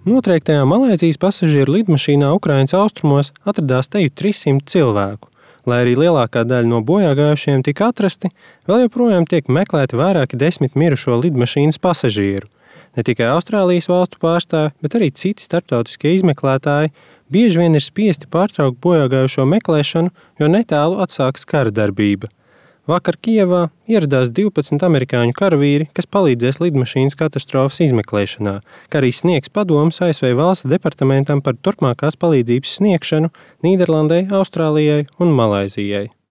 Notriektajā Malaizijas pasažieru lidmašīnā Ukrainas austrumos atradās teju 300 cilvēku. Lai arī lielākā daļa no bojāgājušiem tika atrasti, vēl joprojām tiek meklēti vairāki 10 mirušo lidmašīnas pasažieru. Ne tikai Austrālijas valstu pārstāvji, bet arī citi starptautiskie izmeklētāji bieži vien ir spiesti pārtraukt bojāgājušo meklēšanu, jo netālu atsākas kara darbība. Vakar Kijevā ieradās 12 amerikāņu karavīri, kas palīdzēs lidmašīnas katastrofas izmeklēšanā, kā arī sniegs padomus ASV valsts departamentam par turpmākās palīdzības sniegšanu Nīderlandei, Austrālijai un Malaizijai.